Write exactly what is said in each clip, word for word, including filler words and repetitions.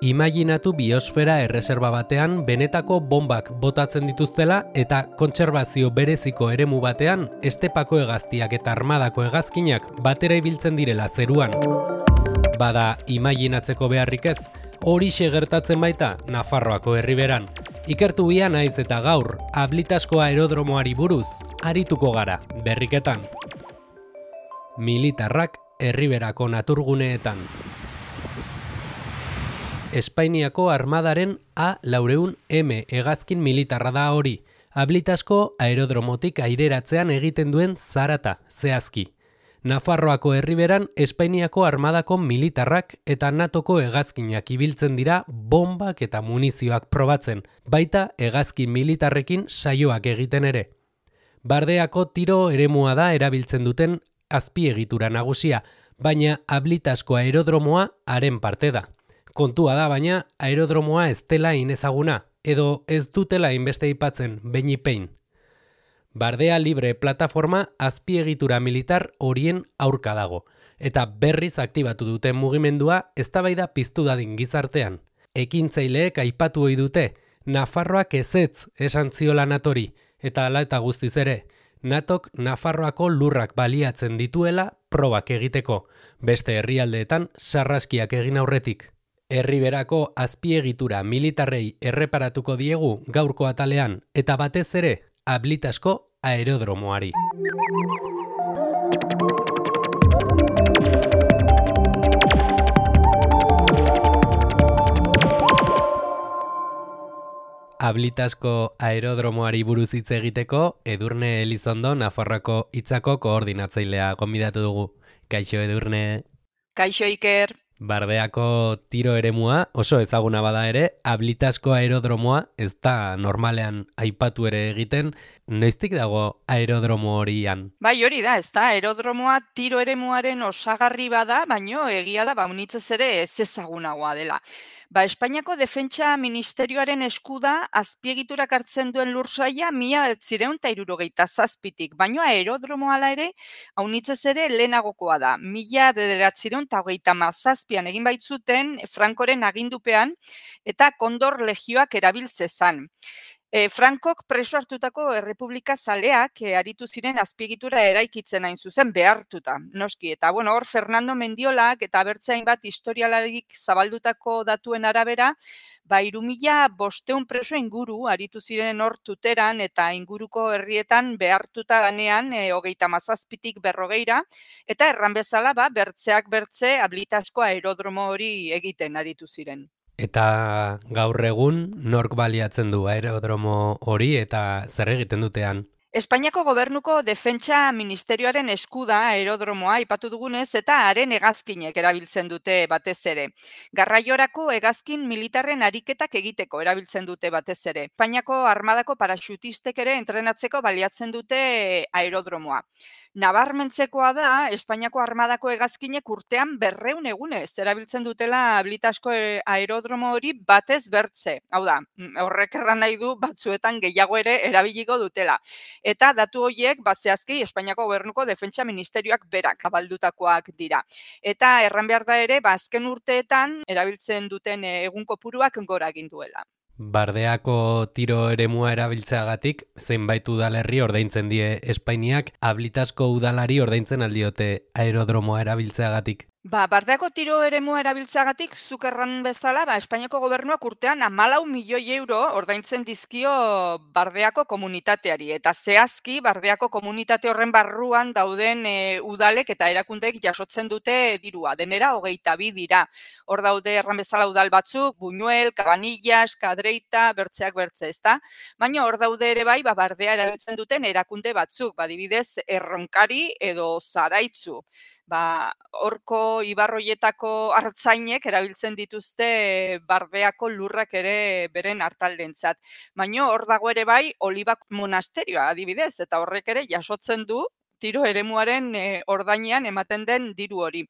Imaginatu biosfera erreserba batean benetako bombak botatzen dituztela eta kontserbazio bereziko eremu batean estepako hegaztiak eta armadako hegazkinak batera ibiltzen direla zeruan. Bada imaginatzeko beharrik ez, horixe gertatzen baita Nafarroako herriberan. Ikertu ia naiz eta gaur, Ablitasko aerodromoari buruz, arituko gara, berriketan. Militarrak herriberako naturguneetan. Espainiako armadaren A laurehun M hegazkin militarra da hori, Ablitasko aerodromotik aireratzean egiten duen zarata, zehazki. Nafarroako herriberan Espainiako armadako militarrak eta natoko hegazkinak ibiltzen dira bombak eta munizioak probatzen, baita hegazkin militarrekin saioak egiten ere. Bardeako tiro eremua da erabiltzen duten azpiegitura nagusia, baina Ablitasko aerodromoa haren parte da. Kontua da baina aerodromoa ez dela inezaguna, edo ez dutela inbeste aipatzen beinipein. Bardea Libre plataforma azpiegitura militar horien aurka dago, eta berriz aktibatu duten mugimendua eztabaida piztu dadin gizartean. Ekintzaileek aipatu ohi dute, Nafarroak ezetz esan ziola natori, eta hala eta guztiz ere, Natok Nafarroako lurrak baliatzen dituela probak egiteko, beste herrialdeetan sarraskiak egin aurretik. Herriberako azpiegitura militarrei erreparatuko diegu gaurko atalean eta batez ere Ablitasko aerodromoari. Ablitasko aerodromoari buruz hitz egiteko Edurne Elizondo Nafarroako hitzako koordinatzailea gonbidatu dugu. Kaixo Edurne. Kaixo Iker. Bardeako tiro eremua oso ezaguna bada ere, Ablitasko aerodromoa ez da normalean aipatu ere egiten, noiztik dago aerodromo horian? Bai, hori da, ez da, aerodromoa tiro eremuaren osagarri bada, baino egia da, baunitzez ere ez ezagunagoa dela. Ba, Espainiako Defentsa Ministerioaren esku da azpiegiturak hartzen duen lursaila mila bederatziehun eta hirurogeita zazpitik, baino aerodromoa hala ere, haunitzez ere lehenagokoa da. Mila bederatziehun eta hogeita hamazazpian egin baitzuten Frankoren agindupean eta Kondor legioak erabiltzezan. E, Frankok preso hartutako errepublika zaleak e, aritu ziren azpiegitura eraikitzen hain zuzen behartuta, noski. Eta bueno, hor Fernando Mendiolak eta bertze hainbat historialarik zabaldutako datuen arabera, ba hiru mila bostehun preso inguru aritu ziren hor Tuteran eta inguruko herrietan behartuta lanean e, hogeita hamazazpitik berrogeira, eta erran bezala ba bertzeak bertze Ablitasko aerodromo hori egiten aritu ziren. Eta gaur egun nork baliatzen du aerodromo hori eta zer egiten dutean? Espainiako Gobernuko Defentsa Ministerioaren esku da aerodromoa aipatu dugunez eta haren hegazkinek erabiltzen dute batez ere. Garraiorako hegazkin militarren ariketak egiteko erabiltzen dute batez ere. Espainiako armadako paraxutistek ere entrenatzeko baliatzen dute aerodromoa. Nabarmentzekoa da, Espainiako armadako hegazkinek urtean berrehun egunez erabiltzen dutela Ablitasko aerodromo hori batez bertze. Hau da, horrek erran nahi du batzuetan gehiago ere erabiliko dutela. Eta datu horiek, zehazki Espainiako Gobernuko Defentsa Ministerioak berak abaldutakoak dira. Eta erran behar da ere, azken urteetan erabiltzen duten egun kopuruak gora egin duela. Bardeako tiro eremua erabiltzeagatik, zenbait udalerri ordaintzen die Espainiak, Ablitasko udalari ordaintzen aldiote aerodromoa erabiltzeagatik. Ba, Bardeako tiro eremua erabiltzeagatik zuk erran bezala, ba, Espainiako gobernuak urtean hamalau milioi euro ordaintzen dizkio Bardeako komunitateari. Eta zehazki, Bardeako komunitate horren barruan dauden e, udalek eta erakundeek jasotzen dute dirua. Denera, hogeita bi dira. Hor daude erran bezala udal batzuk, Buñuel, Cabanillas, Kadreita, bertzeak bertze, ezta? Baina hor daude ere bai, ba, Bardea erabiltzen duten erakunde batzuk, badibidez, Erronkari edo Zaraitzu. Ba, horko ibarroietako hartzainek erabiltzen dituzte Bardeako lurrak ere beren hartaldentzat. Baina hor dago ere bai Olibak monasterioa adibidez, eta horrek ere jasotzen du tiro eremuaren e, ordainean ematen den diru hori.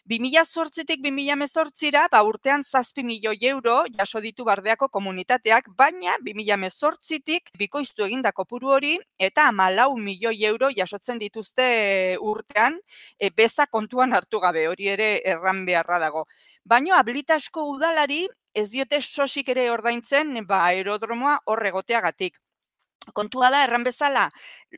bi mila zortzitik bi mila hemezortzira, ba, urtean zazpi milioi euro jaso ditu Bardeako komunitateak, baina bi mila hemezortzitik bikoiztu eginda kopuru hori eta hamalau milioi euro jasotzen dituzte urtean, e, beza kontuan hartu gabe, hori ere erran beharra dago. Baina Ablitasko udalari ez diote sosik ere ordaintzen ba, aerodromoa hor egoteagatik. Kontua da, erran bezala,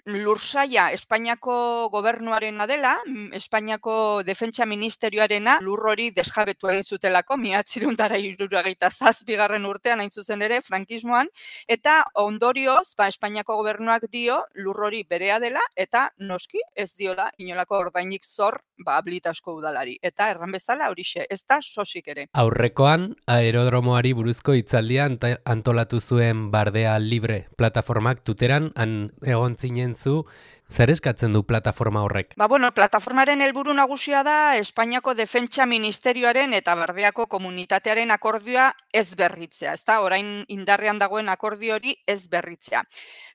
lursaia Espainiako gobernuarena dela, mm, Espainiako defentsa ministerioarena, lur hori desjabetu egin zutelako, mila bederatziehun eta hirurogeita zazpigarren urtean hain zuzen ere, frankismoan, eta ondorioz, ba, Espainiako gobernuak dio lur hori berea dela, eta noski ez diola inolako ordainik zor ba, Ablitasko udalari. Eta erran bezala horixe, ez da sosik ere. Aurrekoan, aerodromoari buruzko hitzaldia anta- antolatu zuen Bardea Libre plataformak tuteran, han egon zinen zu, zer eskatzen du plataforma horrek? Ba, bueno, plataformaren helburu nagusia da Espainiako defentsa ministerioaren eta Bardeako komunitatearen akordioa ez berritzea, ezta? Orain indarrean dagoen akordio hori ez berritzea.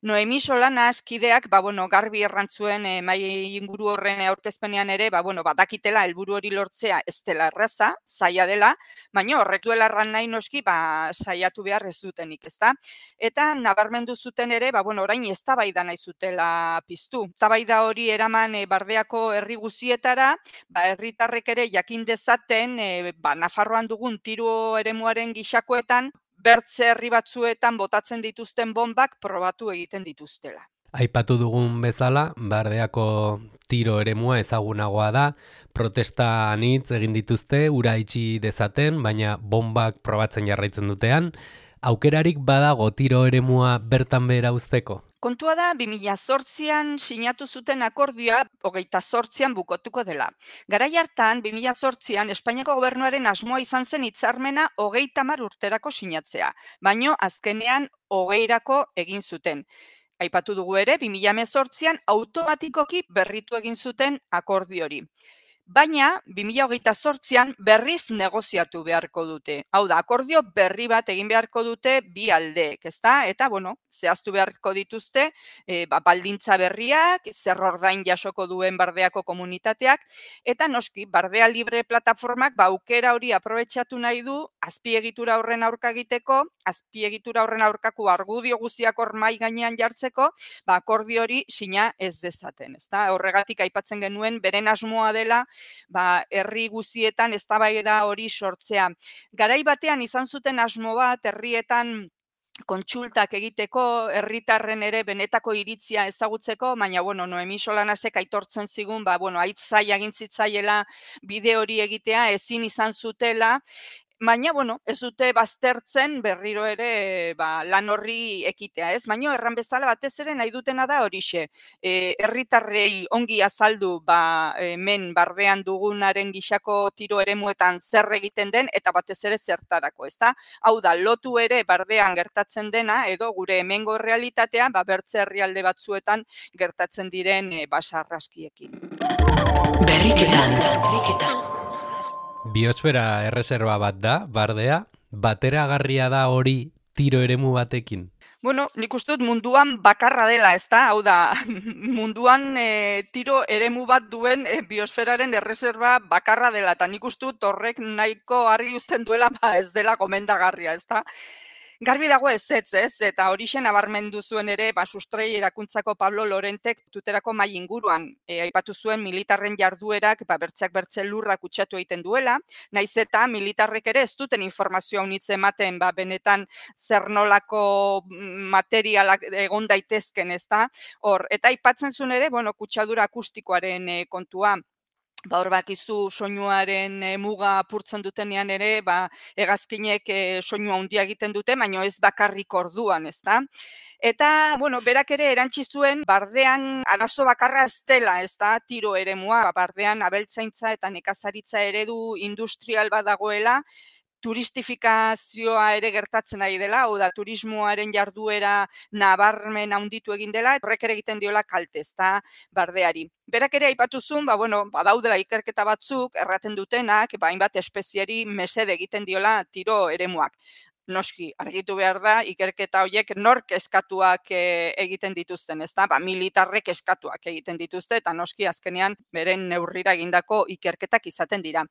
Noemi Solanas kideak, ba, bueno, garbi errantzuen e, mai inguru horren aurkezpenean ere, ba, bueno, badakitela helburu hori lortzea ez dela erraza, zaila dela, baina horrek duela erran nahi noski, ba, saiatu behar ez dutenik, ezta? Eta nabarmendu zuten ere, ba, bueno, orain eztabaida nahi zutela piztu. Eztabaida hori eraman e, Bardeako herri guzietara, ba, herritarrek ere jakin dezaten, e, ba, Nafarroan dugun tiro eremuaren gixakoetan, bertze herri batzuetan botatzen dituzten bombak probatu egiten dituztela. Aipatu dugun bezala, Bardeako tiro eremua ezagunagoa da, protesta anitz egin dituzte, ura itxi dezaten, baina bombak probatzen jarraitzen dutean, aukerarik badago tiro eremua bertan behera uzteko? Kontua da, bi mila zortzian sinatu zuten akordioa hogeita zortzian bukotuko dela. Garai hartan, bi mila zortzian, Espainiako gobernuaren asmoa izan zen hitzarmena hogeita hamar urterako sinatzea, baino azkenean hogeirako egin zuten. Aipatu dugu ere, bi mila hemezortzian automatikoki berritu egin zuten akordio hori. Baina, bi mila hogeita zortzian berriz negoziatu beharko dute. Hau da, akordio berri bat egin beharko dute bi aldeek, ezta? Eta, bueno, zehaztu beharko dituzte, e, ba, baldintza berriak, zer ordain jasoko duen Bardeako komunitateak, eta noski, Bardea Libre plataformak ba, aukera hori aprobetxatu nahi du, azpiegitura horren aurka egiteko, azpiegitura horren aurkako argudio guziak hor mai gainean jartzeko, ba, akordio hori sina ez dezaten, ezta? Horregatik aipatzen genuen, beren asmoa dela, ba, herri guzietan eztabaida hori sortzea. Garai batean izan zuten asmo bat herrietan kontsultak egiteko, herritarren ere benetako iritzia ezagutzeko, baina bueno, Noemi Solanasek aitortzen zigun, ba bueno, haitz zaila egin zitzaiela bide hori egitea, ezin izan zutela. Baina, bueno, ez dute baztertzen berriro ere ba, lan horri ekitea, ez? Baina erran bezala batez ere nahi dutena da horixe. E, herritarrei ongi azaldu ba, hemen Bardean dugunaren gixako tiro eremuetan zer egiten den eta batez ere zertarako, ezta? Hau da, lotu ere Bardean gertatzen dena edo gure hemengo realitatean ba, bertze herrialde batzuetan gertatzen diren e, basarraskiekin. Berriketan, berriketan. Biosfera erreserba bat da, Bardea, bateragarria da hori tiro eremu batekin? Bueno, nik uste dut munduan bakarra dela, ezta? Hau da, munduan e, tiro eremu bat duen e, biosferaren erreserba bakarra dela, eta nik uste dut horrek nahiko argi uzten duela ba, ez dela gomendagarria, ezta? Garbi dago ez ez, ez, eta horixe nabarmendu zuen ere, ba, sustrai erakuntzako Pablo Lorentek tuterako mai inguruan, e, aipatu zuen militarren jarduerak, ba, bertzeak bertze lurrak kutsatu egiten duela, naiz eta militarrek ere ez duten informazioa unitze ematen, ba, benetan zer nolako materialak egon daitezken, ezta? Hor, eta aipatzen zuen ere, bueno, kutsadura akustikoaren e, kontua. Ba, hor bakizu soinuaren e, muga apurtzen dutenean ere, ba, hegazkinek e, soinu handia egiten dute, baina ez bakarrik orduan, ezta? Eta, bueno, berak ere erantzi zuen Bardean arazo bakarra ez dela, ezta? Tiro eremua, Bardean abeltzaintza eta nekazaritza eredu industrial bat dagoela, turistifikazioa ere gertatzen ari dela, hau da, turismoaren jarduera nabarmen handitu egin dela, horrek ere egiten diola kalte, ezta, Bardeari. Berak ere aipatu zuen, ba, bueno, badaudela ikerketa batzuk, erraten dutenak, ba, hainbat espezieri mesede egiten diola tiro eremuak. noski, argitu behar da, ikerketa horiek nork eskatuak e, egiten dituzten, ez da? Ba, militarrek eskatuak egiten dituzte, eta noski azkenean beren neurrira egindako ikerketak izaten dira.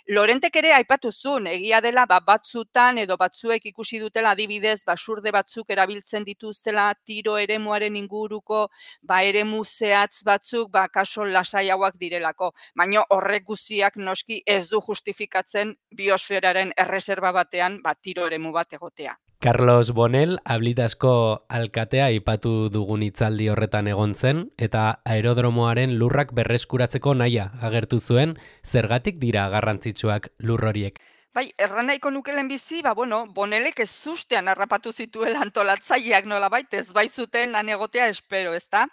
Lorentek ere aipatu zuen, egia dela ba, batzutan edo batzuek ikusi dutela adibidez, basurde batzuk erabiltzen dituztela tiro eremuaren inguruko, ba, eremu zehatz batzuk, ba, kaso lasaiagoak direlako. Baina horrek guztiak noski ez du justifikatzen biosferaren erreserba batean, ba, tiro eremu bat egotea. Carlos Bonel, Ablitasko alkatea aipatu dugun hitzaldi horretan egon zen, eta aerodromoaren lurrak berreskuratzeko nahia agertu zuen, zergatik dira garrantzitsuak lur horiek. Bai, erran nahiko nukelen bizi, ba, bueno, Bonelek ez zustean harrapatu zituela antolatzaileak nolabait, ez baizuten han egotea espero, ezta?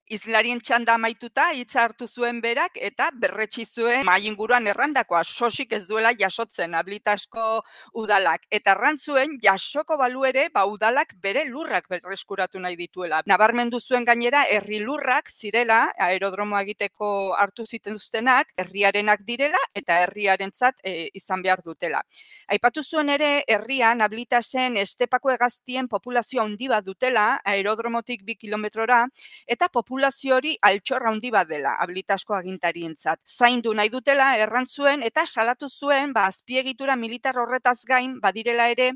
Izlarien txanda amaituta hitza hartu zuen berak eta berretsi zuen mahai inguruan errandakoa, sosik ez duela jasotzen Ablitasko udalak. Eta errantzuen jasoko balu ere ba, udalak bere lurrak berreskuratu nahi dituela. Nabarmendu zuen gainera herri lurrak zirela, aerodromoa egiteko hartu zituztenak, herriarenak direla eta herriarentzat e, izan behar dutela. Aipatu zuen ere herrian Ablitasen estepako hegaztien populazio handi bat dutela, aerodromotik bi kilometrora, eta populazio populazio hori altxorra handi bat dela, Ablitasko agintarientzat. Zaindu nahi dutela errantzuen eta salatu zuen ba, azpiegitura militar horretaz gain badirela ere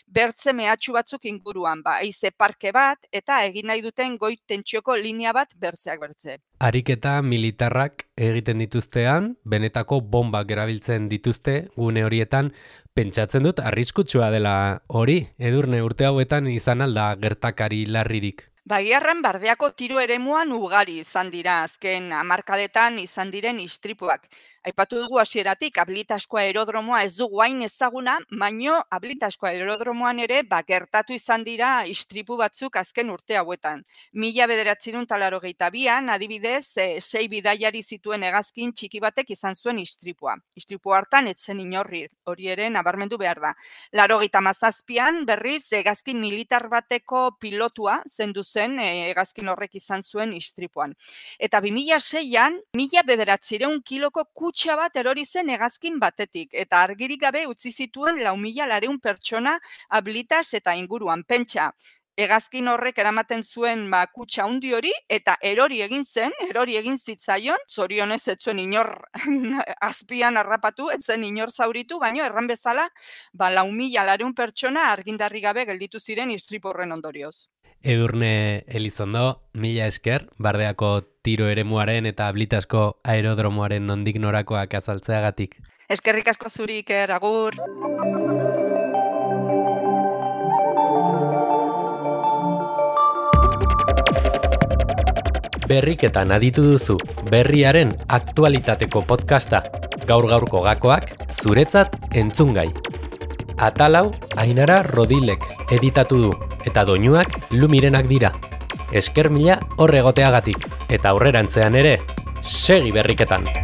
bertze mehatxu batzuk inguruan, ba, haize parke bat eta egin nahi duten goi tentsioko linea bat bertzeak bertze. Ariketa militarrak egiten dituztean, benetako bombak erabiltzen dituzte gune horietan, pentsatzen dut arriskutsua dela hori, Edurne, urte hauetan izan alda gertakari larririk. Bagiarran bardeako tiro eremuan ugari izan dira azken hamarkadetan izan diren istripuak. Aipatu dugu hasieratik Ablitasko aerodromoa ez dugu hain ezaguna, baino Ablitasko aerodromoan ere ba, gertatu izan dira istripu batzuk azken urte hauetan. Mila bederatziehun eta laurogeita bian, adibidez, e, sei bidaiari zituen hegazkin txiki batek izan zuen istripua. Istripu hartan etzen inorri, hori ere nabarmendu behar da. Laurogeita hamazazpian berriz hegazkin militar bateko pilotua zendu zen e, hegazkin horrek izan zuen istripuan. Eta bi mila seian, mila bederatziehun kiloko kutxa bat erori zen hegazkin batetik, eta argirik gabe utzi zituen lau mila laurehun pertsona Ablitas eta inguruan. Pentsa, hegazkin horrek eramaten zuen ba, kutxa handi hori, eta erori egin zen, erori egin zitzaion, zorionez ez zuen inor azpian harrapatu, ez zen inor zauritu, baina erran bezala, ba, lau mila laurehun pertsona argindarri gabe gelditu ziren istripu horren ondorioz. Edurne Elizondo, mila esker, bardeako tiro eremuaren eta Ablitasko aerodromoaren nondik norakoak azaltzeagatik. Eskerrik asko zuri, Iker, agur! Berriketan aditu duzu, berriaren aktualitateko podcasta, gaur-gaurko gakoak, zuretzat entzungai. Atalau, Ainara Rodilek editatu du, eta doinuak Lumirenak dira. Esker mila hor egoteagatik, eta aurrerantzean ere, segi berriketan!